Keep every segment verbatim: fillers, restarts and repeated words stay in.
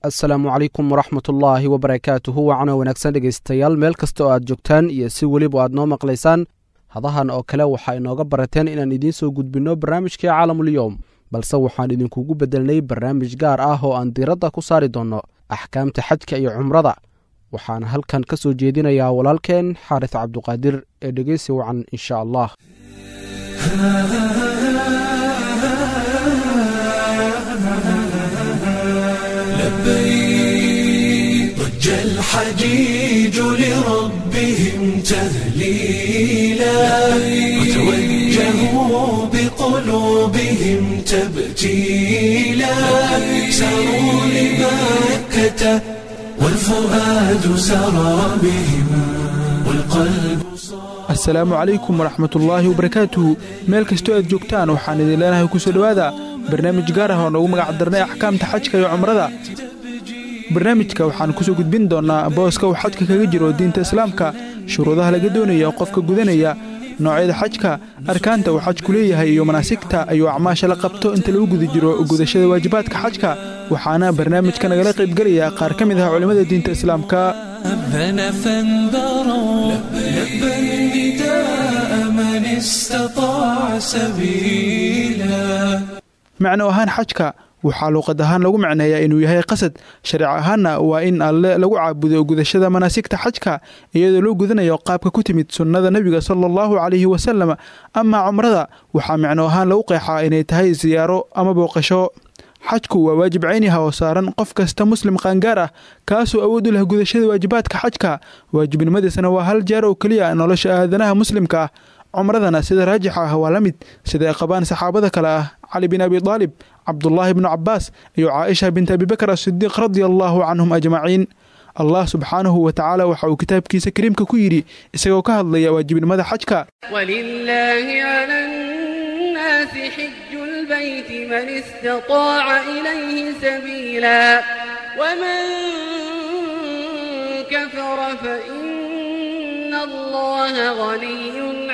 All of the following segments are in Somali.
Asalaamu calaykum waraxmatullaahi wabarakaatuhu. Wacana wanaagsan dhegaystayaal, meel kasta oo aad joogtaan iyo si weliba aad noo maqlaysaan, hadahan oo kale waxaa inooga barateen inaan idiin soo gudbinno barnaamijkii Caalamulyoom, balse waxaan idinkugu beddelnay barnaamij gaar ah oo aan diiradda ku saari doonno axkaamta xajka iyo cumrada. Waxaan halkan ka soo jeedinayaa walaalkeen Xaaris Cabduqaadir ee dhegeysi wacan insha Allah. لبيك ضج الحجيج لربهم تهليلا، وتوجهوا بقلوبهم تبتيلا، ساروا لمكة والفؤاد سرى بهم والقلب صار. Assalaamu calaykum waraxmatullaahi wabarakaatuhu. Meel kastoo aad joogtaan, waxaan idin leenahay kusoo dhowaada barnaamij gaar ah oo noogu magac darnay axkaamta xajka iyo cumrada. Barnaamijka waxaan kusoo gudbin doonnaa booska uu xajka kaga jiro diinta Islaamka, shuruudaha laga doonaya qofka gudanaya, noocyada xajka, arkaanta uu xajku leeyahay iyo manaasigta iyo acmaasha la qabto inta lagu guda jiro gudashada waajibaadka xajka. Waxaana barnaamijka nagala qaybgelaya qaar ka mid ah culimmada diinta Islaamka. أذن فانبروا، لبى النداء من استطاع سبيلا. Macno ahaan, xajka waxaa luuqad ahaan lagu macneeyaa inuu yahay qasad, shareec ahaanna waa in Alle lagu caabudo gudashada manaasigta xajka, iyadoo loo gudanayo qaabka ku timid sunnada Nebiga sala Allahu calayhi wasalam. Amaa cumrada, waxaa micno ahaan lagu qeexaa inay tahay siyaaro ama booqasho. Xajku waa waajib cayniha oo saaran qof kasta Muslim qaangaar ah, kaasoo awood u leh gudashada waajibaadka xajka. Waajibnimadiisana waa hal jeer oo keliya nolosha aadanaha Muslimka ah. Cumradana sida raajixa ah waa la mid, sida ay qabaan saxaabada kale ah Cali bin Abi Daalib, Cabdullaahi bnu Cabbaas iyo Caaisha bint Abibakar Asidiiq, radia Allahu canhum ajmaciin. Allah subxaanahu wa tacaala waxa uu kitaabkiisa kariimka ku yidhi isagoo ka hadlaya waajibnimada xajka: ولله على الناس حج البيت من استطاع إليه سبيلا، ومن كفر فإن الله غني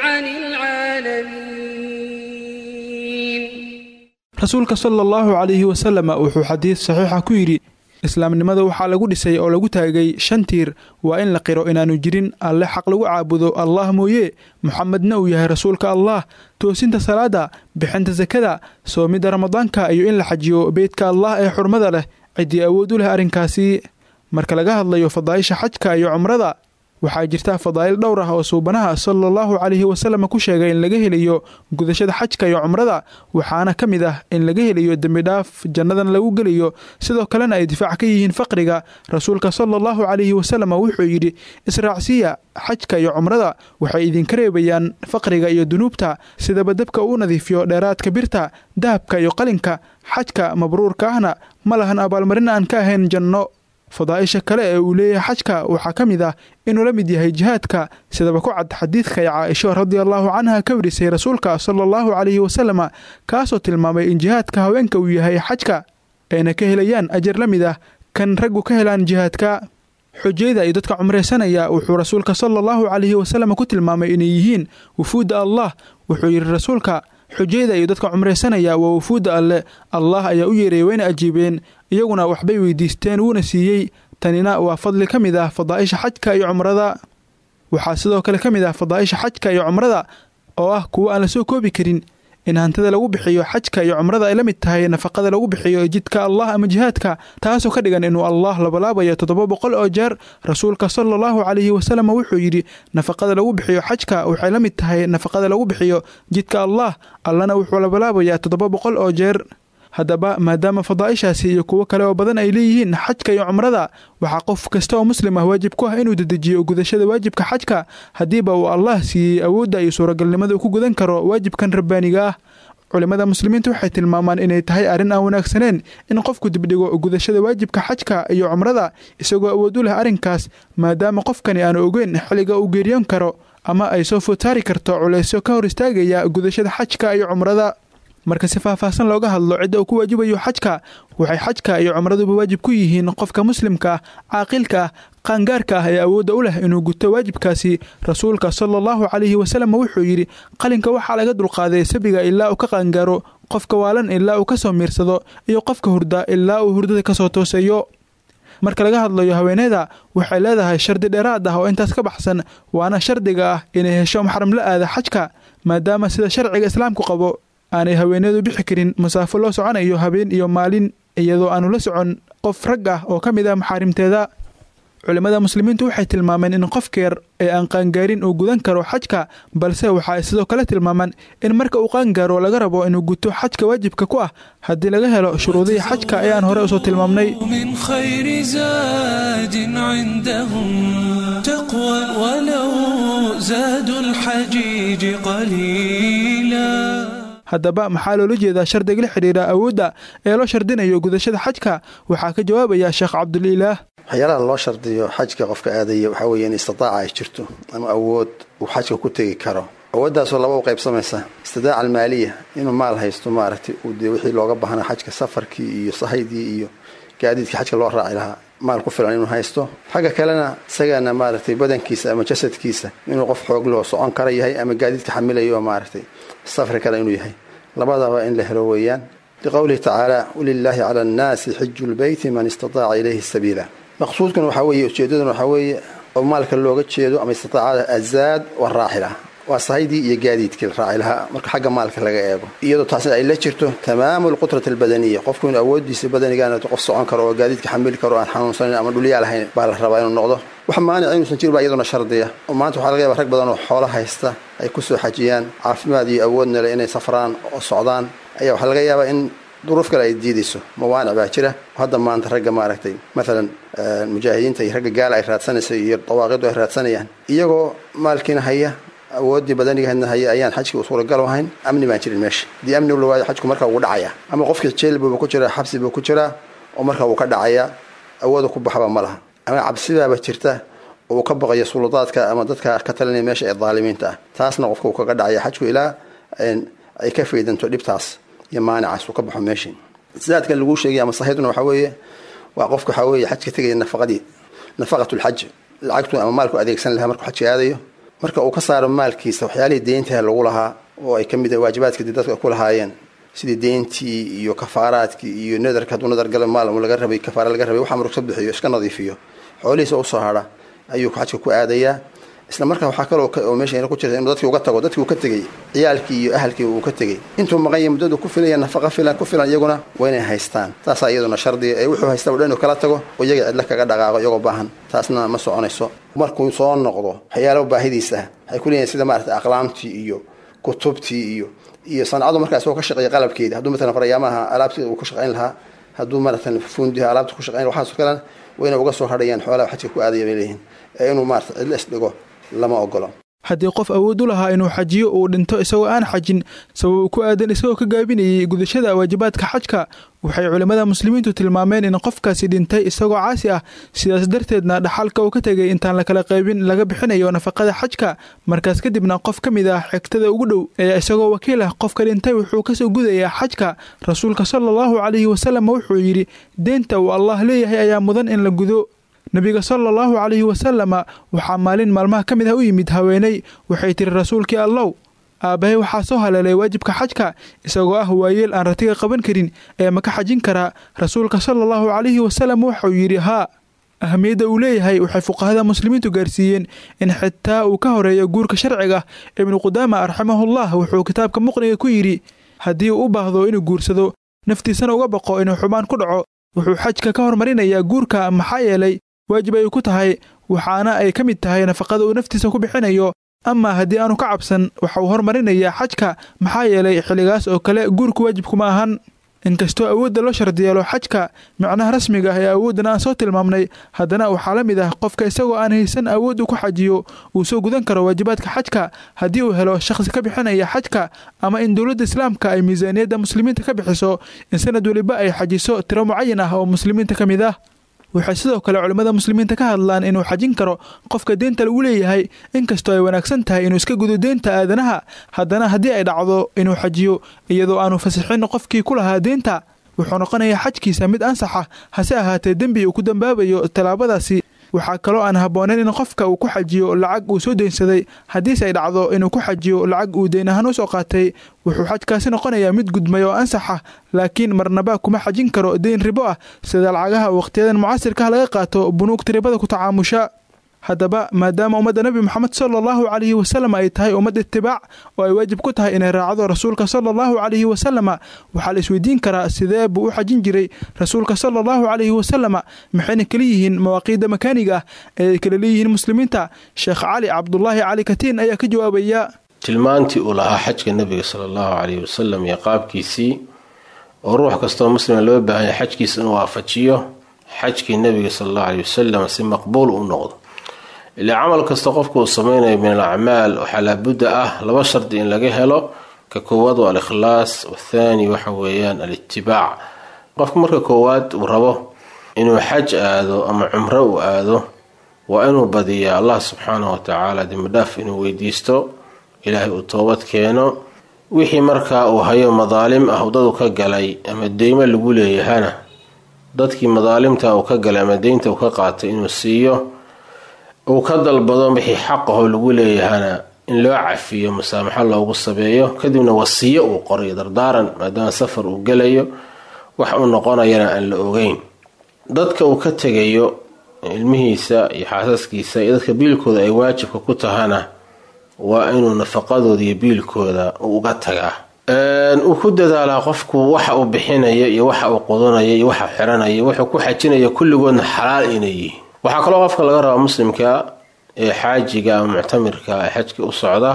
عن العالمين. Rasuulka sala Allahu calayhi wasalam wuxuu xadiis saxiixa ku yidhi: Islaamnimada waxaa lagu dhisay oo lagu taagay shan tiir: waa in la qiro inaanu jirin Alle xaq lagu caabudo Allah mooye, Muxamedna uu yahay rasuulka Allah, toosinta salaada, bixinta sakada, soomidda Ramadaanka iyo in la xajiyo beytka Allah ee xurmada leh ciddii awood u leh arrinkaasi. Marka laga hadlayo fadaa'isha xajka iyo cumrada, waxaa jirta fadaa'il dhowr ah oo Suubanaha sala Allahu calayhi wasalam ku sheegay in laga helayo gudashada xajka iyo cumrada. Waxaana ka mid ah in laga helayo dembi dhaaf, jannadan lagu gelayo, sidoo kalena ay difaac ka yihiin faqriga. Rasuulka sala Allahu calayhi wasalam wuxuu yidhi: Israacsiya xajka iyo cumrada, waxay idinka reebayaan faqriga iyo dunuubta sidaba dabka uu nadiifiyo dheeraadka birta, dahabka iyo qalinka. Xajka mabruurka ahna ma lahan abaalmarin aan ka ahayn janno. Fadaa'isha kale ee uu leeyahay xajka waxaa ka mid ah inuu la mid yahay jihaadka, sidaba ku cad xadiidka ay Caaisho radia Allahu canha ka warisay Rasuulka sala Allahu calayhi wasalam, kaasoo tilmaamay in jihaadka haweenka uu yahay xajka, ayna ka helayaan ajar la mid ah kan raggu ka helaan jihaadka. Xujayda iyo dadka cumraysanaya wuxuu Rasuulka sala Allahu calayhi wasalam ku tilmaamay inay yihiin wufuudda Allah. Wuxuu yidhi Rasuulka: Xujayda iyo dadka cumraysanaya waa wufuudda Alle. Allah ayaa u yeeray, wayna ajiibeen, iyaguna waxbay weydiisteen, wuuna siiyey. Tanina waa fadli ka mid ah fadaa'isha xajka iyo cumrada. Waxaa sidoo kale ka mid ah fadaa'isha xajka iyo cumrada, oo ah kuwo aan la soo koobi karin, in hantida lagu bixiyo xajka iyo cumrada ay la mid tahay nafaqada lagu bixiyo jidka Allah ama jihaadka, taasoo ka dhigan inuu Allah labalaabayo toddoba boqol oo jeer. Rasuulka sala Allahu calayhi wasalam wuxuu yidhi: Nafaqada lagu bixiyo xajka waxay la mid tahay nafaqada lagu bixiyo jidka Allah, Allana wuxuu labalaabayaa toddoba boqol oo jeer. Haddaba, maadaama fadaa'ishaasi iyo kuwo kale oo badan ay leeyihiin xajka iyo cumrada, waxaa qof kasta oo Muslim ah waajib ku ah inuu dedejiyo gudashada waajibka xajka, haddiiba uu Allah siiyey awoodda iyo suuragalnimada uu ku gudan karo waajibkan rabbaaniga ah. Culimmada Muslimiinta waxay tilmaamaan inay tahay arrin aan wanaagsaneyn in qofku dibdhigo gudashada waajibka xajka iyo cumrada isagoo awood u leh arrinkaas, maadaama qofkani aanu ogeyn xilliga uu geeriyoon karo ama ay soo foodsaari karto culaysyo ka hor istaagaya gudashada xajka iyo cumrada. Marka si faahfaahsan looga hadlo cidda uu ku waajibayo xajka, waxay xajka iyo cumraduba waajib ku yihiin qofka Muslimka ah, caaqilka ah, qaangaarka ah ee awoodda u leh inuu guto waajibkaasi. Rasuulka sala Allahu calayhi wasalam wuxuu yidhi: Qalinka waxaa laga dulqaaday sabiga ilaa uu ka qaangaaro, qofka waalan ilaa uu ka soo miirsado, iyo qofka hurda ilaa uu hurdada kasoo tooseeyo. Marka laga hadlayo haweeneyda, waxay leedahay shardi dheeraad ah oo intaas ka baxsan, waana shardiga ah inay hesho maxram la aada xajka, maadaama sida sharciga islaamku qabo aanay haweeneydu bixi karin masaafo loo soconayo habeen iyo maalin iyadoo aanu la socon qof rag ah oo ka mid ah maxaarimteeda. Culimmada muslimiintu waxay tilmaameen in qofka yar ee aan qaangaarin uu gudan karo xajka, balse waxa ay sidoo kale tilmaamaan in marka uu qaangaaro laga rabo inuu guto xajka waajibka ku ah haddii laga helo shuruudihii xajka ee aan hore usoo tilmaamnay. من خير زاد عندهم تقوى ولو زادوا الحجيج قليلا. Haddaba maxaa loola jeedaa shardiga la xidhiira awoodda ee loo shardinayo gudashada xajka? Waxaa ka jawaabaya Sheekh Cabdulilaah. Waxyaalaha loo shardiyo xajka qofka aadaya waxaa weeye in istitaaca ay jirto ama awood uu xajka ku tegi karo. Awooddaasoo laba u qaybsamaysa: istidaaca almaaliya, inuu maal haysto, maaragtay, uu dee wixii looga baahnaa xajka, safarkii iyo sahaydii iyo gaadiidkii xajka loo raaci lahaa, maal ku filan inuu haysto. Xagga kalena isagana, maaragtay, badankiisa ama jasadkiisa inuu qof xoog loo socon kara yahay ama gaadiidka xamilayo, maaragtay, safri kara inuu yahay. Labadaba in la helo weeyaan, liqowlihi tacaala: walilaahi cala annaasi xiju lbeyti man istataaca ilayhi sabiila. Maqsuudkan waxaa weeye, ujeedaduna waxaa weeye oo maalka looga jeedo ama istitaacada azaad waraaxila, waa sahaydii iyo gaadiidkii la raaci lahaa marka xagga maalka laga eego, iyadoo taasna ay la jirto tamaamu alqudrati albadaniya, qofku inuu awoodiisa badanigana qof socon karo oo gaadiidka xamili karo, aan xanuunsanin ama dhulyaal ahayn baa la rabaa inuu noqdo. Wax maanic inuusan jirin baa iyaduna shardiya, oo maanta waxaa laga yaba rag badan oo xoolo haysta ay kusoo xajiyaan, caafimaad iyo awoodna le inay safraan oo socdaan, ayaa waxaa laga yaabaa in duruuf kale ay diidayso. Mawaanic baa jira hadda maanta ragga, maaragtay, maalan mujaahidiinta iyo ragga gaala ay raadsanaysa iyo dawaaqidu ay raadsanayaan, iyagoo maalkiina haya, awooddii badanigahadna haya, ayaan xajkii u suuragal ahayn. Amni baan jirin meesha. Haddii amni la waayo, xajku marka wuu dhacaya, ama qofkii jeel buuba ku jiraa, xabsi buu ku jiraa oo marka wuu ka dhacayaa, awooda ku baxba ma laha, ama cabsibaaba jirta oo uu ka baqayo suladaadka ama dadka ka talinaya meesha ee daalimiinta ah. Taasna qofka uu kaga dhacaya xajku ilaa ay ka faydanto dhibtaas iyo maanicaas, uu ka baxo meeshii. Zaadkan laguu sheegay ama sahayduna waxaa weeye waa qofka waxaa weeye xajka tegaya nafaqadii, nafaqatulxaj, lacagtu ama maalku adeegsan lahaa markuu xajka aadayo. Marka uu ka saaro maalkiisa waxyaalihii deyntaha lagu lahaa oo ay ka mid waajibaadka dadka ku lahaayeen, sidii deyntii iyo kafaaraadkii iyo nadarka, hadduu nadar galo maal laga rabay, kafaara laga rabay, waxaa maruu ka bixiyo, iska nadiifiyo, xoolihiisa usoo hadha ayuu xajka ku aadayaa. Isla markaa waxaa kaloo oo meesha ku jirta inuu dadkii uga tago, dadkii uu ka tegey, ciyaalkii iyo ahalkii uu ka tegey intuu maqan yahay muddadu ku filaya, nafaqa filan ku filan iyaguna waa inay haystaan. Taasaa iyaduna shardiga ee wuxuu haysta o dhan inuu kala tago oo iyaga cidla kaga dhaqaaqo iyagoo baahan, taasna ma soconayso. Markuu soo noqdo, waxyaalo baahidiisa ah waxay ku leeyihin, sida maaragtay aqlaamtii iyo kutubtii iyo iyo sancadu markaa isagoo ka shaqeeya qalabkeeda, hadduu matalan faryaamaha alaabtii uu ku shaqayn lahaa, hadduu maaratan fundiha alaabta ku shaqayn, waxaasoo kalena waa inay uga soo hadhayaan xoolaha xajka ku aadaya bay leeyihin, ee inuu maarata cidla isdhigo lama ogolo. Haddii qof awood u lahaa inuu xajiyo uu dhinto isagoo aan xajin, sabab ku aadan isagoo ka gaabinayay gudashada waajibaadka xajka, waxay culimmada muslimiintu tilmaameen in qofkaasi dhintay isagoo caasi ah, sidaas darteedna dhaxalka uu ka tegay intaan la kala qaybin laga bixinayo nafaqada xajka. Markaas kadibna qof ka mid ah xigtada ugu dhow ee isagoo wakiil ah qofka dhintay wuxuu kasoo gudayaa xajka. Rasuulka sala allahu calayhi wasalam wuxuu yidhi: deynta uu Allah leeyahay ayaa mudan in la gudo. Nabiga sala allahu calayhi wasalama waxaa maalin maalmaha ka mid ah u yimid haweeney. Waxay tiri: rasuulkii Allow, aabbahay waxaa soo haleelay waajibka xajka isagoo ah waayeel aan ratiga qaban karin, ee ma ka xajin karaa? Rasuulka sala allahu calayhi wasalam wuxuu yidhi: haa. Ahamiyadda uu leeyahay waxay fuqahada muslimiintu gaarsiiyeen in xitaa uu ka horeeyo guurka sharciga. Ibnu Qudaama raximahullah wuxuu kitaabka Muqniga ku yidhi: haddii uu u baahdo inuu guursado, naftiisana uga baqo inuu xubaan ku dhaco, wuxuu xajka ka hormarinayaa guurka, maxaa yeelay waajib ay ku tahay, waxaana ay ka mid tahay nafaqada uu naftiisa ku bixinayo. Ama haddii aanu ka cabsan, waxa uu hormarinayaa xajka, maxaa yeelay xilligaas oo kale guurku waajibkuma ahan. Inkastoo awoodda loo shardiyeelo xajka micnaha rasmiga ah ee awooddan aan soo tilmaamnay, haddana waxaa la mid ah qofka isagoo aan haysan awood uu ku xajiyo uu soo gudan karo waajibaadka xajka haddii uu helo shakhsi ka bixinaya xajka, ama in dowladda islaamka ay miisaaniyadda muslimiinta ka bixiso in sanad weliba ay xajiso tiro mucayan ah oo muslimiinta ka mid ah. Waxay sidoo kale culimmada muslimiinta ka hadlaan inuu xajin karo qofka deynta lagu leeyahay. Inkastoo ay wanaagsan tahay inuu iska gudo deynta aadanaha, haddana haddii ay dhacdo inuu xajiyo iyadoo aanu fasixin qofkii ku lahaa deynta, wuxuu noqonayaa xajkiisa mid ansaxa, hase ahaatee dembi uu ku dambaabayo tallaabadaasi. Waxaa kaloo aan habboonayn in qofka uu ku xajiyo lacag uu soo deynsaday. Haddiise ay dhacdo inuu ku xajiyo lacag uu deyn ahaan u soo qaatay, wuxuu xajkaasi noqonayaa mid gudmay oo ansaxa, laakiin marnaba kuma xajin karo deyn ribo ah, sida lacagaha wakhtiyadan mucasirkaah laga qaato bunuugta ribada ku tacaamusha. Haddaba maadaama ummadda nebi Moxamed sala allahu calayhi wasalam ay tahay ummad itibaac oo ay waajib ku tahay inay raacdo rasuulka sala allahu calayhi wasalama, waxaa la isweydiin karaa sidee buu u xajin jiray rasuulka sala allahu calayhi wasalama? Maxayna kala yihiin mawaaqiidda makaaniga ah ee ay kala leeyihiin muslimiinta? Sheekh Cali Cabdulaahi Cali Katiin ayaa ka jawaabaya. Tilmaantii uu lahaa xajka nebiga sala allahu calayhi wasalam iyo qaabkiisii, oo ruux kastoo muslima loo baahan yahay xajkiisa inuu waafajiyo xajkii nebiga sala allahu calayhi wasalam si maqbuul u noqdo. Ilaa camal kasta qofku uu sameynayo min alacmaal waxaa laabudda ah laba shardi in laga helo. Ka koowaad waa alikhlaas, wathaani waxa weeyaan alitibaac. Qofku marka koowaad uu rabo inuu xaj aado ama cumro uu aado, waa inuu badiyaa Allah subxaanahu watacaala dembidhaaf inuu weydiisto, ilaahay uu toobad keeno. Wixii markaa uu hayo madaalim ah dadu ka galay ama deymo lagu leeyahana, dadkii madaalimta uu ka galay ama deynta uu ka qaatay inuu siiyo, uu ka dalbado wixii xaqahoo lagu leeyahana in loo cafiyo, musaamaxo loogu sabeeyo. Kadibna wasiyo uu qoray, dardaaran, maadaama safar uu gelayo wax uu noqonayana aan la ogeyn. Dadka uu ka tegayo, ilmihiisa iyo xaasaskiisa iyo dadka biilkooda ay waajibka ku tahana, waa inuu nafaqadooda iyo biilkooda uu uga tagaa. Uu ku dadaalaa qofku waxa uu bixinayo iyo waxa uu qudanayo iyo waxa xiranayo, wuxuu ku xajinayo, kulligoodna xalaal inay yihiin. Waxaa kaloo qofka laga rabaa muslimka ee xaajiga ama muctamirka ee xajka u socda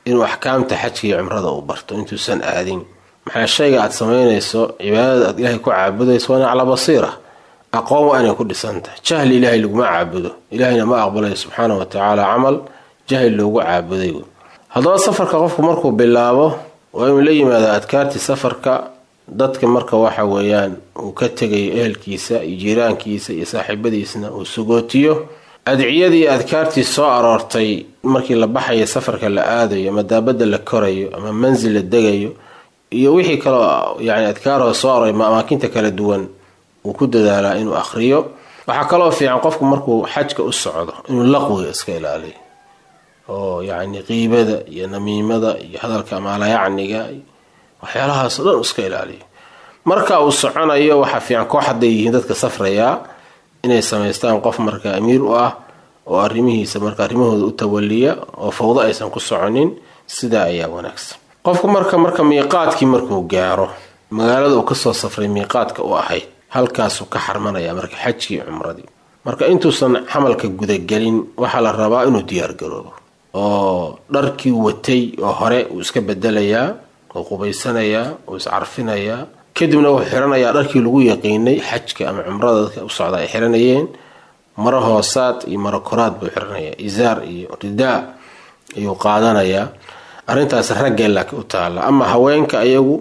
inuu axkaamta xajka iyo cumrada uu barto intuusan aadin. Maxaa shayga aad samaynayso, cibaadada aad ilaahay ku caabudayso, waa in calaa basiira, aqoon waa inay ku dhisantahay. Jahli ilaahay laguma caabudo, ilaahayna ma aqbalayo subxaana wa tacaala camal jahli loogu caabuday. Haddaba safarka qofku markuu bilaabo waa inuu la yimaada adkaartii safarka. Dadka marka waxa weeyaan uu ka tegayo, ehelkiisa iyo jiiraankiisa iyo saaxiibadiisna, uu sugootiyo. Adciyadii adkaartii soo aroortay markii la baxayo, safarka la aadayo ama daabadda la korayo ama mansil la degayo iyo wixii kaloo yani adkaaroo soo aroray amaakinta kala duwan, uu ku dadaalaa inuu akhriyo. Waxaa kaloo fiican qofku markuu xajka u socdo inuu laqwiga iska ilaaliyo, oo yacni qiibada iyo namiimada iyo hadalka maalayacniga, waxyaalahaasoo dhan iska ilaaliyo. Marka uu soconayo waxaa fiican koox hadday yihiin dadka safrayaa inay samaystaan qof marka amiir u ah oo arrimihiisa marka arrimahooda u tawaliya, oo fawdo aysan ku soconin. Sidaa ayaa wanaagsan. Qofku marka marka miiqaadkii markuu gaaro magaalada uu kasoo safray miiqaadka u ahayd, halkaasuu ka xarmanaya marka xajkii, cumradii. Marka intuusan xamalka gudagelin waxaa la rabaa inuu diyaargaroobo, oo dharkii watay oo hore uu iska bedelayaa, uu qubaysanayaa, uu iscarfinayaa, kadibna wuxuu xiranayaa dharkii lagu yaqiinay xajka ama cumrada dadka u socda ay xiranayeen. Maro hoosaad iyo maro koraad buu xiranayaa, izaar iyo ridaa ayuu qaadanayaa. Arrintaas raggee laakiin u taalla. Ama haweenka ayagu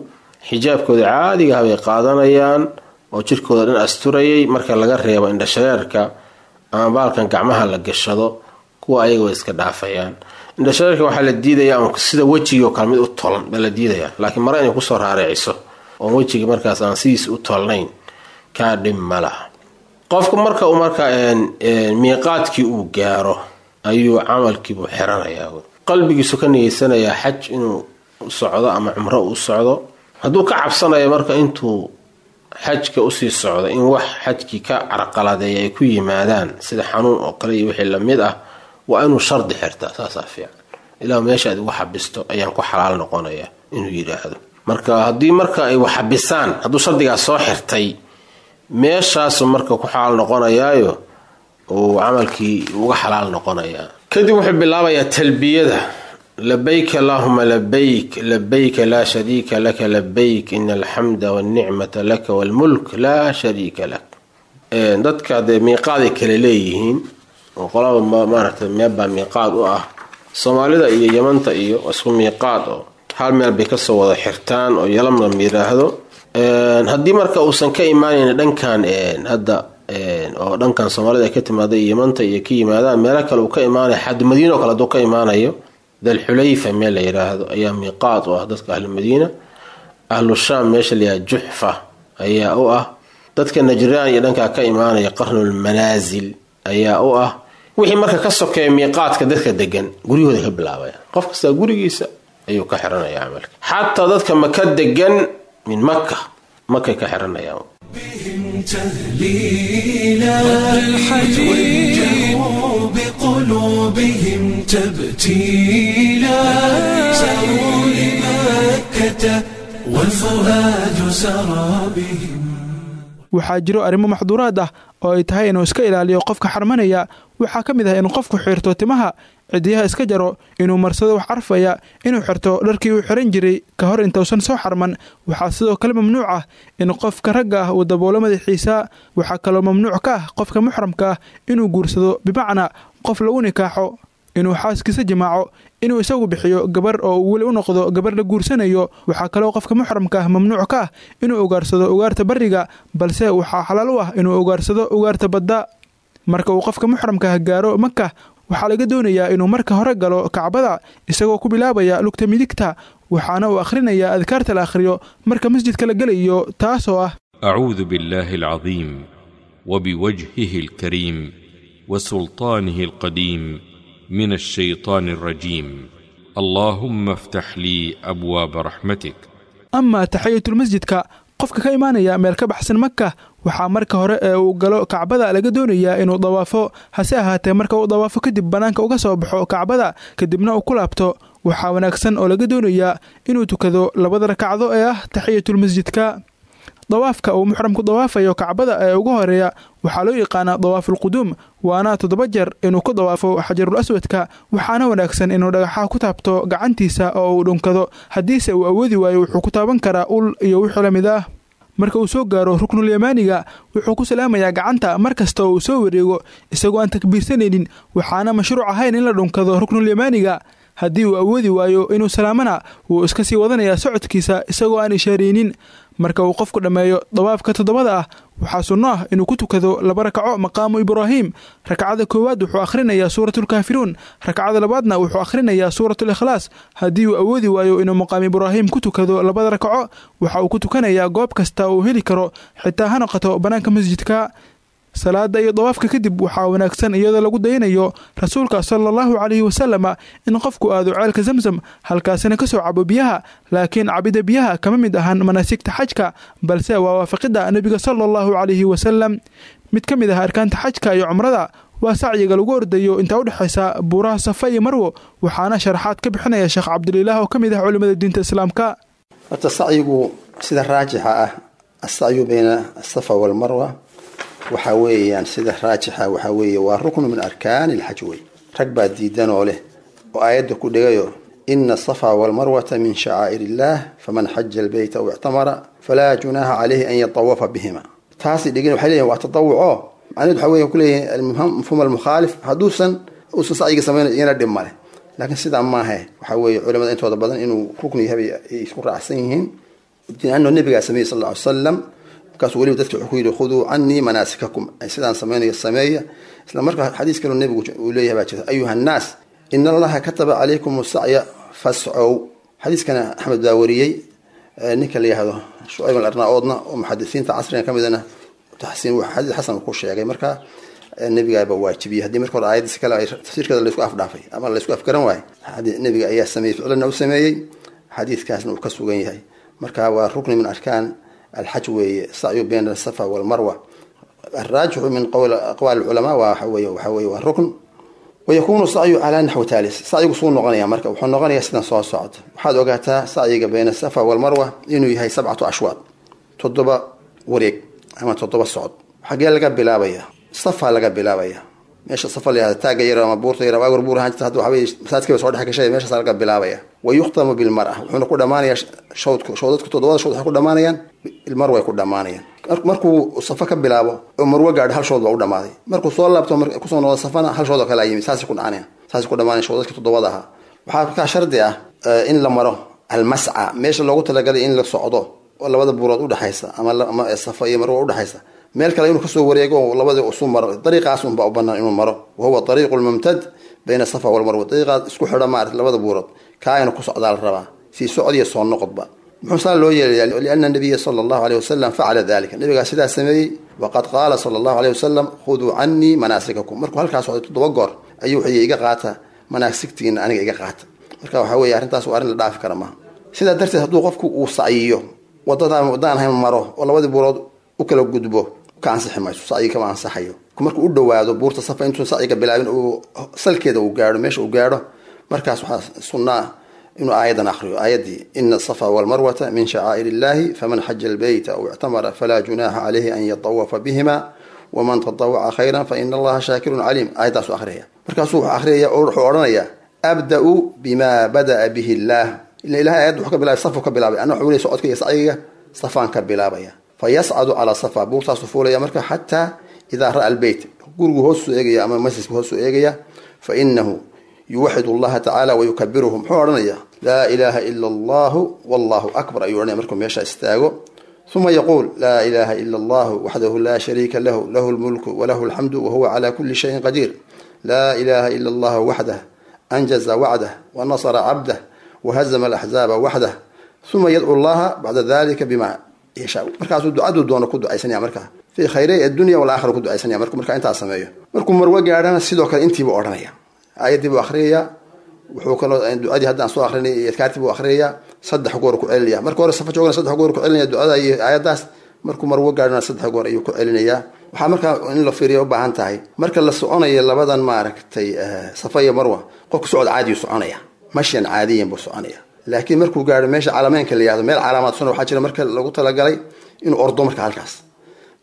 xijaabkooda caadiga ah bay qaadanayaan oo jirkooda dhan asturayay, marka laga reebo indhashareerka ama baalkan gacmaha la gashado, kuwa ayaga way iska dhaafayaan. Indhashareerka waxaa la diidayaa un sida wejigii oo kale mid u tolan baa la diidayaa, laakiin mare inay kusoo raareeciso oon wejigii markaas aan sidiisa u tolnayn kaa dhib ma laha. Qofku marka uu marka miiqaadkii uu gaaro ayuu camalkiibuu xiranayaa, qalbigiisu ka nigeysanayaa xaj inuu socdo ama cumro u socdo. Hadduu ka cabsanayo marka intuu xajka usii socdo in wax xajkii ka carqaladeeya ay ku yimaadaan, sida xanuun oo kale iyo wixii lamid ah, waa inuu shardi xirtaa. Saasaa fiican, ilaa meesha aad igu xabisto ayaan ku xalaal noqonaya inuu yidhaahdo. Marka haddii marka ay wax xabisaan, hadduu shardigaas soo xirtay, meeshaasu marka ku xalaal noqonayaayo uu camalkii uga xalaal noqonayaa. Kadib wuxuu bilaabayaa talbiyada: labayk allaahuma labayk, labayka laa shariika laka labayk, ina alxamda walnicmata laka walmulk laa shariika lak. Dadka dee miiqaaday kale leeyihiin oo qolaba maaragtay meelbaa miiqaad u ah. Soomaalida iyo Yamanta iyo isku miiqaad oo hal meel bay kasoo wada xirtaan oo Yalamlam yidhaahdo. Haddii marka uusan ka imaanayn dhankan hadda oo dhankan Soomaalida ay ka timaada iyo Yamanta iyo ka yimaadaan, meelo kale uu ka imaanayo, xad Madiina oo kale hadduu ka imaanayo, Dalxulayfa meel la yidhaahdo ayaa miiqaad u ah dadka ahlu Madiina. Ahlu Shaam meesha la yidhahdo Juxfa ayaa u ah. Dadka Najraan iyo dhankaa ka imaanaya, Qarnulmanaasil ayaa u ah. Wixii marka ka sokeeya miiqaadka dadka degan guryahooda ka bilaabaya, qof kastaa gurigiisa ayuu ka xiranaya camalka. Xataa dadka maka degan min maka makay ka xiranayaan. بهم تهليلا وجهوا بقلوبهم تبتيلا ساروا لمكة والفؤاد سرى بهم. Waxaa jiro arrimo maxduuraad ah oo ay tahay inuu iska ilaaliyo qofka xarmanaya. Waxaa ka mid ah inuu qofku xirto timaha, cidiyaha iska jaro, inuu marsado wax carfaya, inuu xirto dharkii uu xiran jiray ka hor intuusan soo xarman. Waxaa sidoo kale mamnuuc ah in qofka ragga ah uu daboolo madaxiisa. Waxaa kaloo mamnuuc ka ah qofka muxramka ah inuu guursado, bimacnaa qof lagu nikaaxo, inuu xaaskiisa jimaaco, inuu isagu bixiyo gabar oo uu weli u noqdo gabar la guursanayo. Waxaa kaloo qofka muxramka ah mamnuuc ka ah inuu ugaarsado ugaarta barriga, balse waxaa xalaal u ah inuu ugaarsado ugaarta badda. Marka uu qofka muxramka ah gaaro Maka, waxaa laga doonayaa inuu marka hore galo Kacbada isagoo ku bilaabaya lugta midigta, waxaana uu akhrinayaa adkaarta la akhriyo marka masjidka la gelayo, taasoo ah: أعوذ بالله العظيم وبوجهه الكريم وسلطانه القديم من الشيطان الرجيم. اللهم افتح لي أبواب رحمتك. Amaa taxiyatulmasjidka, qofka ka imaanaya meel ka baxsan Maka waxaa marka hore ee uu galo Kacbada laga doonayaa inuu dawaafo. Hase ahaatee, marka uu dawaafo kadib bannaanka uga soo baxo Kacbada, kadibna uu ku laabto, waxaa wanaagsan oo laga doonayaa inuu tukado labada rakacdo ee ah taxiyatulmasjidka. Dawaafka uu muxramku dawaafayo Kacbada ee ugu horeeya waxaa loo yaqaanaa dawaafulquduum, waana toddoba jeer inuu ku dawaafo xajarul aswadka. Waxaana wanaagsan inuu dhagaxaha ku taabto gacantiisa oo uu dhunkado. Haddiise uu awoodi waayo, wuxuu ku taaban karaa ul iyo wixii la mid ah. Marka uu soo gaaro ruknulyamaaniga, wuxuu ku salaamayaa gacanta mar kasta oo uu soo wareego isagoo aan takbiirsanaynin. Waxaana mashruuc ahayn in la dhunkado ruknulyamaaniga. Haddii uu awoodi waayo inuu salaamana, wuu iska sii wadanayaa socodkiisa isagoo aan ishaareynin. Marka uu qofku dhammeeyo dawaafka toddobada ah, waxaa sunno ah inuu ku tukado laba rakaco maqaamu Ibraahim. Rakcada koowaad wuxuu akhrinayaa Suuratulkaafiruun, rakcada labaadna wuxuu akhrinayaa Suuratulikhlaas. Haddii uu awoodi waayo inuu maqaamu Ibraahim ku tukado labada rakaco, waxa uu ku tukanayaa goob kasta uu heli karo, xitaa ha noqoto bannaanka masjidka. Salaada iyo dawaafka kadib waxaa wanaagsan, iyadoo lagu dayanayo rasuulka sala allahu calayhi wasalama, in qofku aado ceelka Zamzam, halkaasina ka soo cabo biyaha. Laakiin cabida biyaha kama mid ahan manaasigta xajka, balse waa waafaqidda nebiga sala allahu calayhi wasalam. Mid ka mid ah arkaanta xajka iyo cumrada waa sacyiga lagu ordayo intaa u dhexaysa buuraha Safa iyo Marwo. Waxaana sharaxaad ka bixinaya Sheekh Cabdulilaah oo ka mid ah culimada diinta Islaamka. Horta sacyigu sida raajixa ah, asacyu bayna asafa walmarwa, waxaa weeyaan sida raajixa waxaa weeye waa ruknu min arkaani alxaj wey. Rag baa diidan oo leh oo aayadda ku dhigayo: ina asafa walmarwata min shacaa'ir illaah, faman xaja albeyta aw ictamara falaa junaaha caleyhi an yatawafa bihima. Taasi dhigin waxay leeyihin waa tatawuco. Macnaheed waxaa weeye kuleeyihin mafhuum almukhaalif, hadduusan uusan sacyiga samaynayo iyana dhib male. Laakiin sidaa maahe. Waxaa weeye culimada intooda badan inuu rukni yahay bay ay isku raacsan yihiin, lianno nebigaa sameeyey sal alla ly salam. Markaasuu weliba dadka wuxuu ku yidhi: khuduu canii manaasikakum, sidaan samaynayo sameeya. Isla markaa xadiis kaloo nebigu uu leeyahay baa jirta: ayuha annaas, ina allaha kataba calaykum sacya fascow. Xadiiskana Axmed baa wariyey, ninka la yihahdo Shucayb alarnaaoodna oo muxadisiinta casrigan ka midana taxsiin xadiis xasan ku sheegay. Marka nebigaaba waajibiyey. Haddii marka hore aayaddiisa kale ay tafsiirkeeda laysku afdhaafay ama laysku afgaran waayo, nebiga ayaa sameeyey, ficlanna u sameeyey, xadiiskaasna uu ka sugan yahay. Marka waa rukni min arkaan alxaj weeye sacyu bayna asafa walmarwa. Alraajixu min qowl aqwaal alculamaa waa waxa weeye waxa weeye waa rukn. Wayakunu sacyu calaa naxwi taalis. Sacyigu suu noqonaya marka wuxuu noqonayaa sidan soo socda. Waxaad ogaataa sacyiga bayna asafa walmarwa inuu yahay sabcatu ashwaad, toddoba wareeg ama toddoba socod. Xagee laga bilaabaya? Safa laga bilaabaya, meesha safa la yihahdo, taagga yar ama buurta yar, waagor buur ahaan jirta, hadda waxa weye masaajidka bay soo dhex gashay, meeshaas laga bilaabaya. Wa yukhtamu bilmara, wuxuuna ku dhamaanayaa shawdku, shawdadku toddobada shawd waxay ku dhamaanayaan bilmarwa ay ku dhamaanayaan. Markuu safa ka bilaabo oo marwo gaadho, hal shawd baa u dhamaaday. Markuu soo laabto kusoo noqdo safana, hal shawd oo kale yimi. Saasay ku dhacanayaan, saasay ku dhamaanayan shawdadka toddobada ahaa. Waxaa markaa shardi ah in la maro almasca, meesha loogu talagalay in la socdo oo labada buurood udhexaysa ama ama safa iyo marwo udhexaysa. Meel kale inuu kasoo wareego oo labadii usu maro, dariiqaas unbaa u banaan inuu maro, wahuwa dariiqu lmumtad bayna safa walmarwa, dariiqaas isku xidha maarata labada buurood, kaa inuu ku socdaa la rabaa, sii socod iyo soo noqodba. Muxuu saa loo yeelaya? Liana nabiya sala allahu aleyh wasalam facala dalika, nabigaa sidaa sameeyey. Waqad qaala sala allahu aleyh wasalam khuduu canii manaasikakum. Markuu halkaas socday toddoba goor ayuu wuxuu iga qaata manaasigtiina, aniga iga qaata. Marka waxaa weeye arrintaas waa arrin la dhaafi kara maaha. Sidaa darteed hadduu qofku uu sacyiyo wadadaan waddaan ahayn maro oo labadii buurood u kala gudbo, ka ansixi mayso, sacyi kama ansaxayo. Markuu u dhowaado buurta Safa, intuun sacyiga bilaabin, uu salkeeda uu gaadho, meesha uu gaadho, markaas waxaa sunnaa inuu aayadan akriyo, aayaddii ina asafa walmarwata min shacaa'ir illahi faman xaja albeyta aw ictamara falaa junaaxa caleyhi an yatawafa bihima waman tatawaca khayran fa ina allaha shaakirun caliim. Aayaddaasu akhriyaya. Markaasuu wuxuu akhriyaya oo wuxuu odhanayaa abda-u bima bada'a bihi illaah. Ila ilahay aayadda wuxuu ka bilaabay safu ka bilaabay, anna wuxuu leey socodka iyo sacyiga safaan ka bilaabaya. Fa yascadu calaa safa, buurtaasuu fuulaya marka xataa idaa ra'a albeyt, gurigu hoosuu eegaya ama masjidku hoosuu eegaya. Fa inahu yuwaxid allaha tacaala wayukabiruhu. Muxuu odhanaya? Laa ilaaha ila allahu wallahu akbar ayuu odhanaya markuu meesha istaago. Uma yaquul laa ilaha ila allahu waxdahu laa shariika lahu lahu lmulku walahu alxamdu wahuwa cala kuli shayin qadiir. Laa ilaha ila allahu waxdah anjaza wacdah wanasara cabdah wahazama alaxzaaba waxdah. Uma yadcu allaha bacda dalika bima yashaa. Markaasuu ducaduu doono ku ducaysanaya, markaa fii khayray addunya walaakhira ku ducaysanaya. Markuu markaa intaas sameeyo, markuu Marwo gaadhana sidoo kale intiibuu odhanaya, aayaddii buu akhriyaya, wuxuu kaloo ducadii haddaan soo akrinay iyo adkaartii buu akhriyaya, saddex goor ku celinaya. Marka hore Safa joogana saddex goor ku celinaya ducada iyo aayaddaas, markuu Marwo gaadhana saddex goor ayuu ku celinayaa. Waxaa markaa in la fiiriya u baahan tahay, marka la soconayo labadan maaragtay Safa iyo Marwa, qofku socod caadiyuu soconaya, mashyan caadiyan buu soconaya. Laakiin markuu gaadho meesha calameynka la yihahdo, meel calaamaadsan waxaa jira marka lagu talagalay inuu ordo, marka halkaas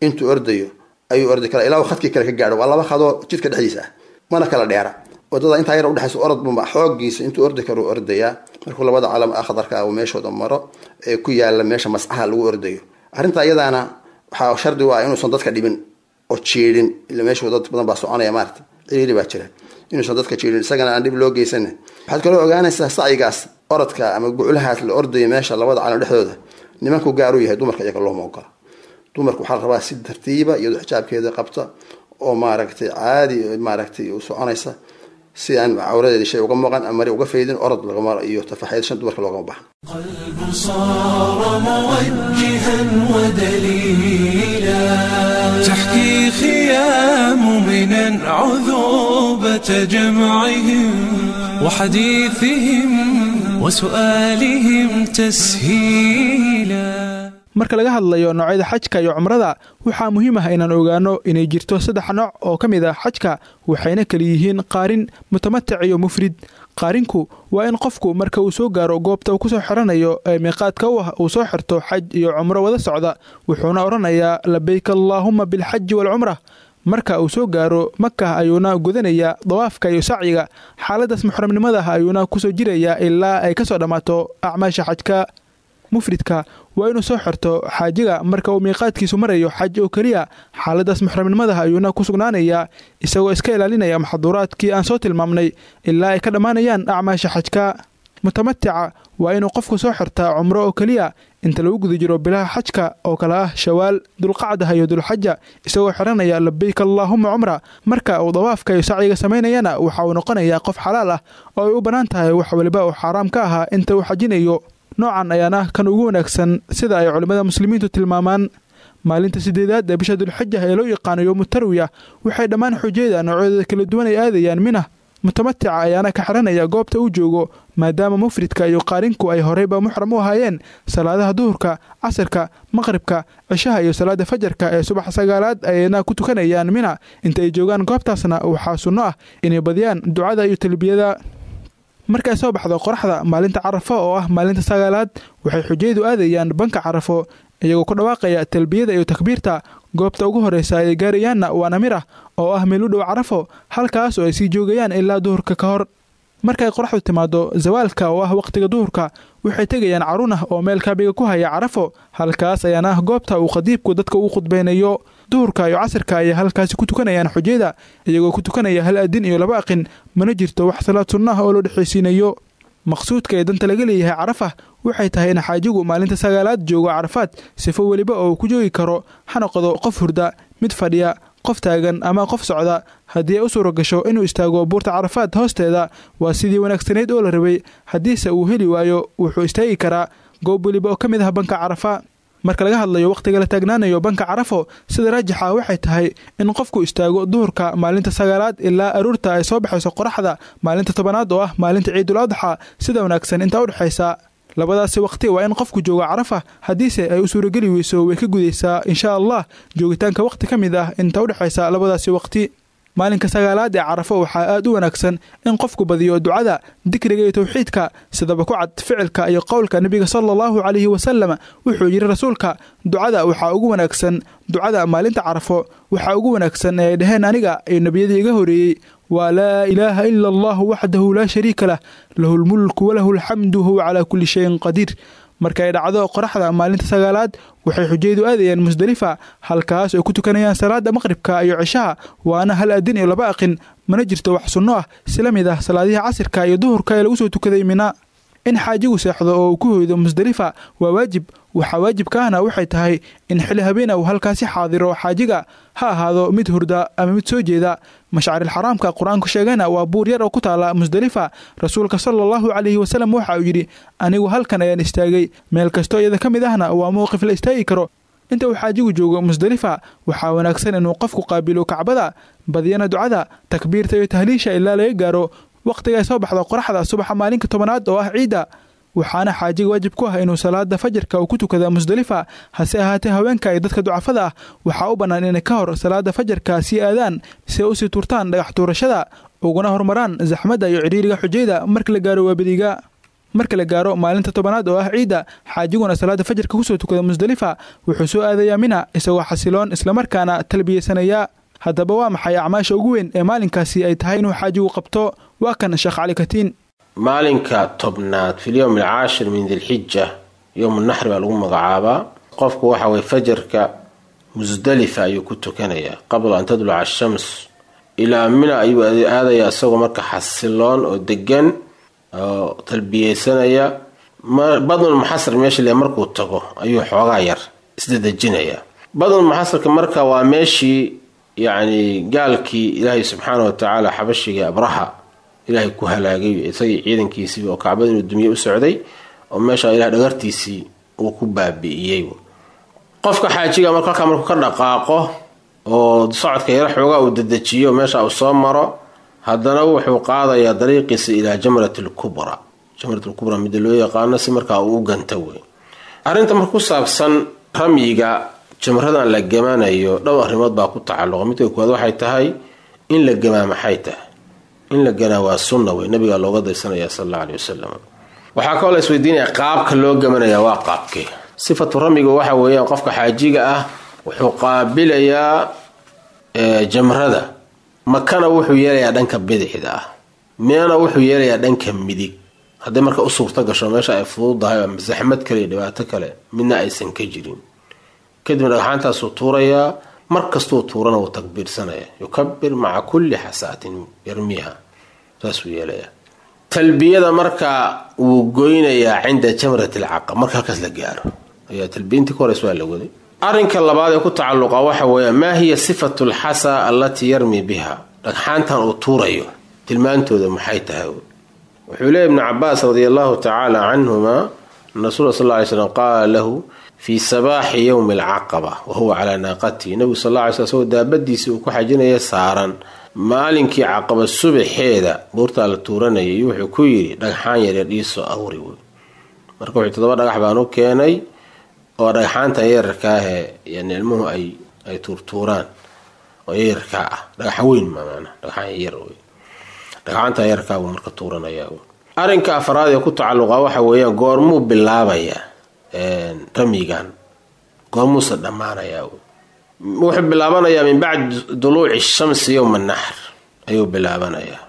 intuu ordayo ayuu ordi karaa ilaa uu khadkii kale ka gaadho. Waa laba khadoo jidka dhexdiisa ah, mana kala dheera. Wadada intaa yar udhexaysa orod bunba xoogiisa intuu ordi karo ordayaa. Markuu labada calam akhdarka ah uu meeshooda maro ee ku yaala meesha mascaha lagu ordayo, arrintaa iyadaana waxaa shardi u ah inuusan dadka dhibin oo jiidhin, ila meesha dad badan baa soconaya, maarata ciriiri baa jira, inuusan dadka jiidhin, isagana aan dhib loo geysanin. Waxaad kaloo ogaanaysaa sacyigaas orodka ama guclahaas la ordayo meesha labada calam dhexdooda nimanku gaar u yahay, dumarka iyaga looma ogola. Dumarku waxaa la rabaa si tartiiba, iyadoo xijaabkeeda qabta oo maaragtay caadi maaragtay u soconaysa, si aan cawradeeda shay uga maqan ama mari uga faydin, orod lagama iyo tafaxeed shan dumarka loogama baxan. قلب صار موجها ودليلا، تحكي خيام منا عذوبة جمعهم وحديثهم وسؤالهم تسهيلا. Marka laga hadlayo noocyada xajka iyo cumrada, waxaa muhiim ah inaan ogaano inay jirto saddex nooc oo ka mid ah xajka, waxayna kala yihiin qaarin, mutamatic iyo mufrid. Qaarinku waa in qofku marka uu soo gaaro goobta uu kusoo xiranayo ee miiqaadka u ah uu soo xirto xaj iyo cumro wada socda, wuxuuna odhanayaa labayk allaahuma bilxaji waalcumra. Marka uu soo gaaro Makah ayuuna gudanayaa dawaafka iyo sacyiga, xaaladaas muxramnimada ah ayuuna kusoo jirayaa ilaa ay kasoo dhammaato acmaasha xajka. Mufridka waa inuu soo xirto xaajiga marka uu miiqaadkiisu marayo xaj oo keliya, xaaladaas muxramnimadaha ayuuna ku sugnaanayaa isagoo iska ilaalinaya maxduuraadkii aan soo tilmaamnay ilaa ay ka dhammaanayaan acmaasha xajka. Mutamatica waa inuu qofku soo xirtaa cumro oo keliya inta lagu guda jiro bilaha xajka oo kale ah Shawaal, Dulqacdaha iyo Dulxaja, isagoo xiranaya labayk allaahuma cumra. Marka uu dawaafka iyo sacyiga samaynayana waxa uu noqonayaa qof xalaal ah oo ay u bannaan tahay wax waliba uu xaaraam ka ahaa inta uu xajinayo. Noocan ayaana kan ugu wanaagsan sida ay culimmada muslimiintu tilmaamaan. Maalinta sideedaad ee bisha Dulxaja ee loo yaqaano yowmu tarwiya waxay dhammaan xujayda noocyadooda kala duwan ay aadayaan Mina. Mutamatica ayaana ka xiranaya goobta uu joogo, maadaama mufridka iyo qaarinku ay horeyba muxram u ahaayeen. Salaadaha duhurka, casirka, maqribka, cishaha iyo salaada fajarka ee subax sagaalaad ayayna ku tukanayaan Mina. Inta ay joogaan goobtaasna waxaa sunno ah inay badiyaan ducada iyo talbiyada. Markay soo baxdo qoraxda maalinta Carafo oo ah maalinta sagaalaad, waxay xujaydu aadayaan banka Carafo iyagoo ku dhawaaqaya talbiyada iyo takbiirta. Goobta ugu horreysa ay gaarayaanna waa Namira oo ah meel u dhow Carafo, halkaas oo ay sii joogayaan ilaa duhurka ka hor. Markay qoraxdu timaado zawaalka oo ah waqtiga duhurka, waxay tegayaan Carunah oo meel kaabiga ku haya Carafo, halkaas ayaana ah goobta uu khadiibku dadka ugu khudbaynayo. Duhurka iyo casirka ayay halkaasi ku tukanayaan xujayda iyagoo ku tukanaya hal adin iyo laba aqin, mana jirto wax salaad sunno ah oo loo dhexaysiinayo. Maqsuudka ee danta laga leeyahay Carafa waxay tahay in xaajigu maalinta sagaalaad joogo Carafaad sifo weliba oo ku joogi karo, ha noqdo qof hurda, mid fadhiya, qof taagan ama qof socda. Haddii ay u suura gasho inuu istaago buurta Carafaad hoosteeda waa sidii wanaagsanayd oo la rabay, haddiise uu heli waayo wuxuu istaagi karaa goob weliba oo ka mid ah banka Carafa. Marka laga hadlayo wakhtiga la taagnaanayo banka Carafo, sida raajixa waxay tahay in qofku istaago duhurka maalinta sagaalaad ilaa aroorta ay soo baxayso qoraxda maalinta tobanaad oo ah maalinta Ciidul Adxa. Sida wanaagsan intaa u dhexaysa labadaasi waqti waa in qofku joogo Carafa, haddiise ay u suurageli weyso way ka gudaysaa insha Allah joogitaanka waqti ka mid ah inta u dhexaysa labadaasi waqti. Maalinka sagaalaad ee Carafo waxaa aad u wanaagsan in qofku badiyo ducada, dikriga iyo tawxiidka, sidaba ku cad ficilka iyo qowlka nebiga sala allahu calayhi wasalam. Wuxuu yidhi rasuulka, ducada waxaa ugu wanaagsan ducada maalinta Carafo, waxaa ugu wanaagsan ee ay dhaheen aniga iyo nebiyadii iga horeeyey waa laa ilaaha ila allahu waxdahu laa shariika lah, lahu lmulku walahu alxamdu huwa calaa kulli shayin qadiir. Marka ay dhacdo qoraxda maalinta sagaalaad waxay xujaydu aadayaan Musdalifa, halkaas ay ku tukanayaan salaada maqribka iyo cishaha, waana hal adin iyo laba aqin, mana jirto wax sunno ah sila mid ah salaadihii casirka iyo duhurka ee lagu soo tukaday Mina. In xaajigu seexdo oo uu ku hoydo Musdalifa waa waajib. Waxaa waajibka ahna waxay tahay in xili habeena uu halkaasi xaadiro xaajiga, ha ahaado mid hurda ama mid soo jeeda. Mashcaril xaraamka qur-aanku sheegayna waa buur yar oo ku taala Musdalifa. Rasuulka sala allahu calayhi wasalam waxa uu yidhi, anigu halkan ayaan istaagay, meel kastoo iyada ka mid ahna waa mowqif la istaagi karo. Inta uu xaajigu joogo Musdalifa waxaa wanaagsan inuu qofku qaabilo Kacbada, badiyana ducada, takbiirta iyo tahliisha ilaa laga gaaro waqtiga ay soo baxdo qoraxda subaxa maalinka tobanaad oo ah ciidda. Waxaana xaajiga waajib ku ah inuu salaada fajarka uu ku tukada Musdalifa. Hase ahaatee haweenka iyo dadka ducafada ah waxaa u bannaan inay ka hor salaada fajarka sii aadaan si ay usii tuurtaan dhagax tuurashada, uguna horumaraan zaxmadda iyo cidhiiriga xujayda marka la gaaro waabadiga. Marka la gaaro maalinta tobanaad oo ah ciidda, xaajiguna salaada fajarka kusoo tukada Musdalifa, wuxuu soo aadayaa Mina isagoo xasiloon islamarkaana talbiyeysanaya. Haddaba waa maxay acmaasha ugu weyn ee maalinkaasi ay tahay inuu xaajigu qabto? Waa kan Sheekh Cali Katiin. Maalinka tobnaad fi lyowm alcaashir min dilxija, yowm naxri baa lagu magacaabaa. Qofku waxa weye fajarka Musdalifa ayuu ku tukanayaa qabla an tadluca ashams, ilaa Mina ayuu aadayaa isagoo marka xasiloon oo degan oo talbiyeysanaya. Badnul muxasar meesha le markuu tago ayuu xoogaa yar isdadejinayaa. Badnul muxasarka marka waa meeshii yacni gaalkii Ilaahay subxaana wa tacaala xabashiga Abraha Ilaahay ku halaagay isagii ciidankiisii oo Kacbada inuu dumiye u socday, oo meesha Ilahay dhagartiisii uu ku baabi'iyey. Qofka xaajiga marka halkaa markuu ka dhaqaaqo oo socodka yaro xoogaa uu dedejiyo meesha uu soo maro, haddana wuxuu qaadayaa dariiqiisa ilaa Jamrat alkubra, Jamrat alkubra midda loo yaqaano, si markaa uu u ganta wey. Arrinta marka ku saabsan ramyiga jamradan la gamanayo dhowr arrimood baa ku tacalluqa. Midka koowaad waxay tahay in la gamaa maxay tahay? In la ganaa waa sunna wey, nabigaa looga daysanaya sala allahu aleyhi wasalam. Waxaa kaloo la isweydiinaya qaabka loo gamanaya waa qaabkee. Sifatu ramyiga waxa weeyaan qofka xaajiga ah wuxuu qaabilayaa jamrada, Makana wuxuu yeelayaa dhanka bidixda ah, Minana wuxuu yeelayaa dhanka midig. Hadday marka u suurta gasho meesha ay fududahay ama zaxmad kale iyo dhibaato kale midna aysan ka jirin, kadibna dhagxaantaasuu tuurayaa. Mar kastuu tuurana wuu takbiirsanaya, yukabir maca kulli xasaatin yarmiiha, saasuu yeelayaa. Talbiyada marka wuu goynayaa cinda jamrat alcaqab, marka halkaas la gaaro ayaa talbiyintii ka horeysa waa la waday. Arrinka labaad ee ku tacalluqa waxa weeya maa hiya sifatu alxasa allatii yarmi biha, dhagxaantan uu tuurayo tilmaantooda maxay tahay? Wuxuu leeyahy Ibnu Cabaas radia allahu tacaala canhuma an rasuula sal ly slam qaala lahu fii sabaaxi yowmi alcaqaba wahuwa calaa naaqatihi. Nabigu sal alla ly sl isagoo daabadiisii uu ku xajinaya saaran maalinkii caqaba subaxeeda buurtaa la tuuranayay, wuxuu ku yidhi dhagxaan yaryar iisoo awri wey. Marka wuxuu toddoba dhagax baan u keenay oo dhagxaantan yararka ahee yani ilmuhu ay ay tuurtuuraan oo yararkaa ah, dhagaxa weyn ma maanaa, dhagxaan yar wey, dhagxaantan yararkaa buu marka tuuranayaa. Arrinka afraad ee ku tacalluqa waxa weeyaan goormuu bilaabayaa ramyigan, goormuuse dhammaanayaa? Wuxuu bilaabanayaa min bacdi duluuci shamsi yowma naxr ayuu bilaabanayaa,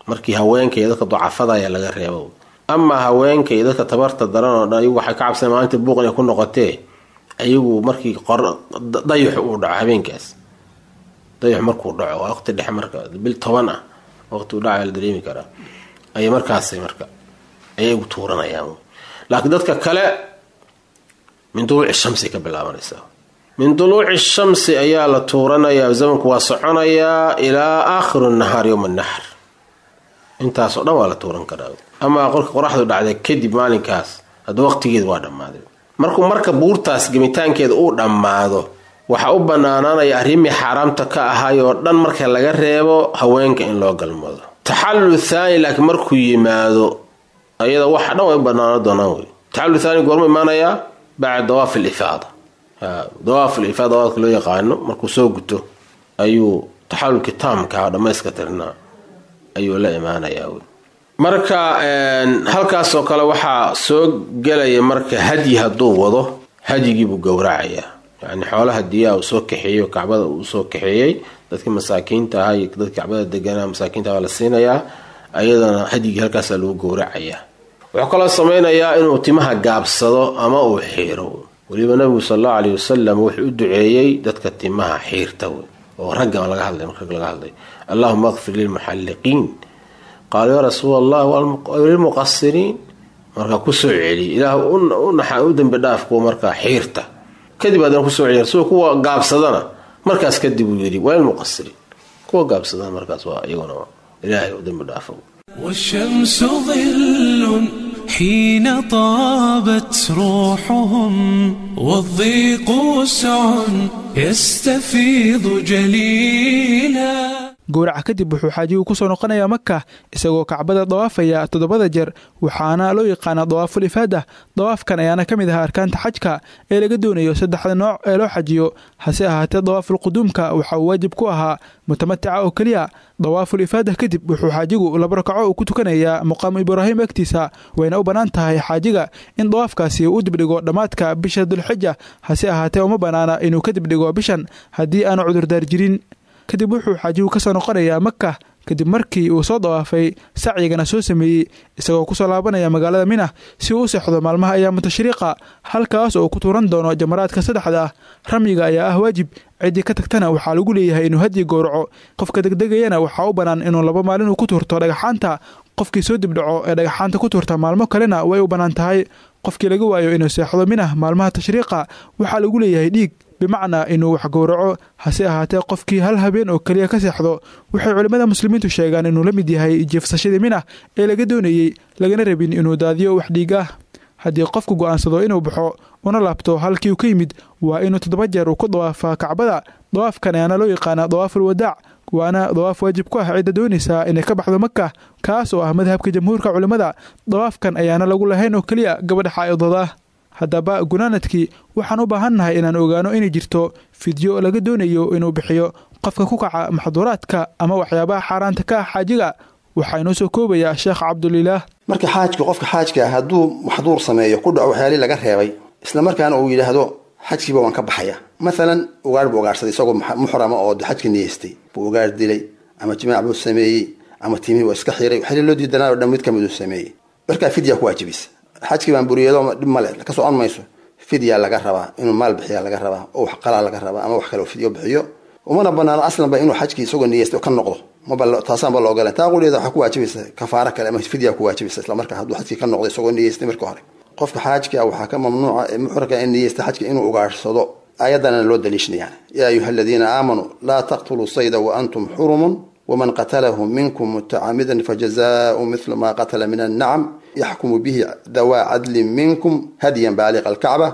markii haweenka iyo dadka ducafada ayaa laga reebo. Amaa haweenka iyo dadka tabarta daran oo dhan ayagu waxay ka cabsaneen maalinta buuq inay ku noqotee, ayagu markii dayaxu uu dhaco habeenkaas, dayaxu markuu dhaco waa waqti dhexe, marka bil toban ah waqti uu dhacayo la dareemi karaa, ayay markaas marka ayagu tuuranayaan. Laakiin dadka kale min duluuci shamsi ka bilaabanaysaa, min duluuci shamsi ayaa la tuuranayaa, zamanku waa soconayaa ilaa aakhiru nahaar yowma naxr, intaasoo dhan waa la tuuran karaa. Amaa qorka qoraxdu dhacday kadib maalinkaas Hadda waqtigeeda waa dhammaaday. Markuu marka buurtaas gemitaankeeda uu dhammaado, waxaa u banaanaanaya arrimii xaaraamta ka ahaayoo dhan marka laga reebo haweenka in loo galmado. Taxallul thaani laakiin markuu yimaado ayada waxa dhan way u banaano doonaan wey. Taxallul thaani goormu imaanayaa? Bacda dawaaf alifaada. Dawaaf alifaada dawaafka loo yaqaano markuu soo guto ayuu taxallulkii taamka dhammayska tirnaa ayuu la imaanayaa wey. Marka halkaasoo kale waxaa soo gelaya marka hadyi hadduu wado, hadyigii buu gowracayaa. Yacni xoolaha diyaa uu soo kaxeeyey oo kacbada uu soo kaxeeyey, dadkii masaakiinta ahaa iyo dadkii kacbada deganaa masaakiinta waa la siinayaa, ayadana hadyigii halkaasaa lagu gowracayaa. Wuxuu kaloo samaynayaa inuu timaha gaabsado ama uu xiiro. Weliba nabigu sal allahu caleyhi wasalam wuxuu u duceeyey dadka timaha xiirta wey, oo ragga laga hadlay, marka rag laga hadlay, allahuma akfir lilmuxalliqiin, qaaluu yaa rasuul allah lilmuqasiriin. Markaa kusoo celiy, ilaah u dembi dhaaf kuwa markaa xiirta. Kadib haddana kusoo celiy rasuul kuwa gaabsadana, markaas kadib uu yidhi walilmuqasiriin, kuwa gaabsadana markaas waa iyaguna ilaahay u dembi dhaafo. والشمس ظل حين طابت روحهم، والضيق وسع يستفيض جليلا. Gowraca kadib wuxuu xaajigu ku soo noqonayaa Maka isagoo kacbada dawaafaya toddobada jeer, waxaana loo yaqaanaa dawaaful ifaada. Dawaafkan ayaana ka mid ahaa arkaanta xajka ee laga doonayo saddexda nooc ee loo xajiyo. Hase ahaatee dawaaful quduumka waxa uu waajib ku ahaa mutamatica oo keliya. Dawaaful ifaada kadib wuxuu xaajigu laba rakaco uu ku tukanayaa muqaamu Ibraahim agtiisa, wayna u bannaan tahay xaajiga in dawaafkaasi uu u dibdhigo dhammaadka bisha Dulxija. Hase ahaatee uma bannaana inuu ka dibdhigo bishan haddii aanu cudurdaar jirin. Kadib wuxuu xaajigu ka soo noqonayaa Maka kadib markii uu soo dawaafay, sacyigana soo sameeyey, isagoo kusoo laabanaya magaalada Mina si uu u seexdo maalmaha ayaamu tashriiqa, halkaas oo uu ku tuuran doono jamaraadka saddexda ah. Ramyiga ayaa ah waajib, ciddii ka tagtana waxaa lagu leeyahay inuu hadyi gowraco. Qofka degdegayana waxaa u bannaan inuu laba maalin uu ku tuurto dhagaxaanta. Qofkii soo dibdhaco ee dhagaxaanta ku tuurta maalmo kalena way u bannaan tahay. Qofkii laga waayo inuu seexdo Mina maalmaha tashriiqa waxaa lagu leeyahay dhiig, bimacnaa inuu wax gowraco. Hase ahaatee qofkii hal habeen oo keliya ka seexdo waxay culimmada muslimiintu sheegaan inuu la mid yahay jiifsashadii Mina ee laga doonayey, lagana rabin inuu daadiyo wax dhiig ah. Haddii qofku go'aansado inuu baxo una laabto halkii uu ka yimid, waa inuu toddoba jeer uu ku dawaafaa kacbada. Dawaafkan ayaana loo yaqaanaa dawaaful wadaac, waana dawaaf waajib ku ah cidda doonaysaa inay ka baxdo Maka, kaas oo ah madhabka jamhuurka culimmada. Dawaafkan ayaana lagu lahayn oo keliya gabadha xaa'idada ah. Haddaba gunaanadkii waxaan u baahannahay inaan ogaano inay jirto fidyo laga doonayo inuu bixiyo qofka ku kaca maxduuraadka ama waxyaabaha xaaraanta ka ah xaajiga. Waxaa inoo soo koobayaa Sheekh Cabdulilaah. Marka xaajku, qofka xaajka ah hadduu maxduur sameeyo, ku dhaco waxyaalihii laga reebay, isla markaana uu yidhaahdo xajkiiba waan ka baxaya, mathalan ugaadh buu ugaadhsaday isagoo muxrama oo xajka niyeystay buu ugaadh dilay, ama jimaac buu sameeyey, ama timihii waa iska xiray, waxyaalihi loo diidanaa oo dhan mid ka mid uu sameeyey, markaa fidya ku waajibaysa. Xajkii baan buriyado dhib male, ka socon mayso. Fidya laga rabaa, inuu maal bixiya laga rabaa, oo wax qalaa laga rabaa, ama wax kale fidyo bixiyo. Umana banaano aslanba inuu xajkii isagoo niyeystay ka noqdo, maba taasaanba la ogolan. Taa quliyeeda waxaa ku waajibaysa kafaaro kale ama fidya ku waajibaysa isla markaa hadduu xajkii ka noqdo isagoo niyeystay marka hore. Qofka xaajka waxaa ka mamnuuca ee muxrika in niyeysta xajka inuu ugaadhsado. Aayadana loo daliishanayaan, yaa ayuha aladiina aamanuu laa taqtuluu sayda wa antum xurumun waman qatalahu minkum mutacamidan fajazaau mithlu maa qatala min annacam yaxkumu bihi dawaa cadlin minkum hadyan baaliqa alkacba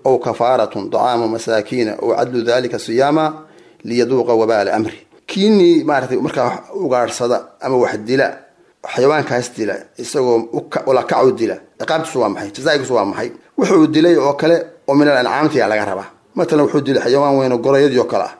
aw kafaaratun dacaamu masaakiina aw cadlu dalika siyaama liyaduuqa wabaala amri. Kiinii maaratay markaa ugaadhsada ama wax dila, xayawaankaas dila isagoo ulakacu dila, ciqaabtiisu waa maxay? Jazaagiisu waa maxay? Wuxuu dilay oo kale oo min al ancaamtiyaa laga rabaa. Matalan wuxuu dilay xayawaan weyn oo gorayadii oo kale ah,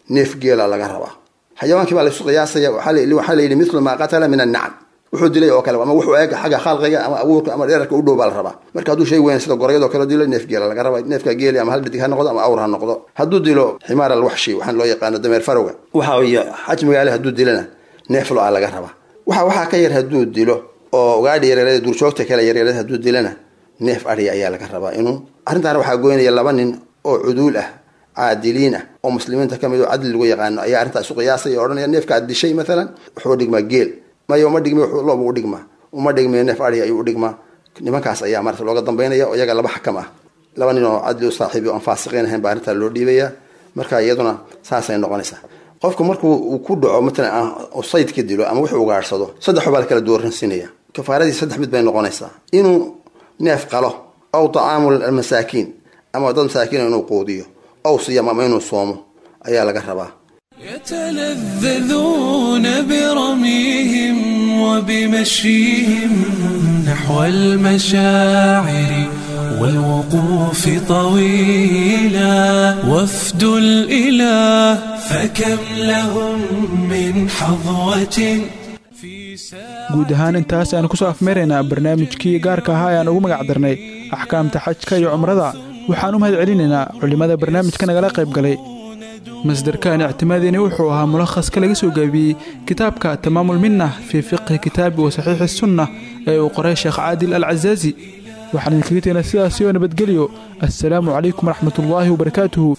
neef geela laga rabaa. Xayawaankii baa laysu qiyaasaya, waxaa la yidhi mithlu maa qatala min annacam, wuxuu dilay oo kale ama wuxuu eeg xagga khalqiga ama abuurka ama dherarka u dhow baa la rabaa. Marka hadduu shay weyn sida gorayadoo kale dilo, neef geela laga rabaa. Neefka geeli ama hal dhadig ha noqdo ama awr ha noqdo. Hadduu dilo ximaar alwaxshi, waxaan loo yaqaano dameer farowga, waxa weeye xajmigaale hadduu dilana neef lo-a laga rabaa. Waxa waxaa ka yar hadduu dilo oo ugaadhi yaryarada duurjoogta kale yaryarada hadduu dilana neef adhiya ayaa laga rabaa. Inuu arrintaana waxaa goynaya laba nin oo cuduul ah, caadiliin ah, oo muslimiinta ka mid oo cadli lagu yaqaano ayaa arrintaas isu qiyaasaya oo odhanaya neefka aad dishay mathalan wuxuu dhigmaa geel, maya uma dhigmi, loobu u dhigmaa, uma dhigmay neef adhiya ayuu u dhigmaa. Nimankaas ayaa marata looga dambaynaya oo iyaga laba xakam ah, laba nin oo cadli u saaxiibi oo aan faasiqiin ahayn baa arrintaa loo dhiibaya. Marka iyaduna saasay noqonaysaa. Qofku markuu uu ku dhaco matalan saydka dilo ama wuxuu ugaadhsado, saddex baa la kala dooransinaya. Kafaaradii saddex mid bay noqonaysaa: inuu neef qalo Aw طacaamu almasaakiin, ama dad masaakiina inuu quudiyo, aw siyam, ama inuu soomo ayaa laga rabaa. يتلذذون برميهم وبمشيهم نحو المشاعر والوقوف طويلا وفد الإله، فكم لهم من حظوة. Guud ahaan intaas ayaan kusoo afmeeraynaa barnaamijkii gaarka ahaa ee aan ugu magac darnay axkaamta xajka iyo cumrada. Waxaan u mahad celinaynaa culimmada barnaamijka nagala qayb galay. Masdarkaan ictimaadeyni wuxuu ahaa mulakhaska laga soo gaabiyey kitaabka Tamaamul Minna fii fiqhi kitaabi wa saxiixi sunna ee uu qoray Sheekh Caadil al Casaazi. Waxaan idinkaga tegnaa sidaasi oo nabadgelyo. Assalaamu calaykum waraxmatullaahi wabarakaatuhu.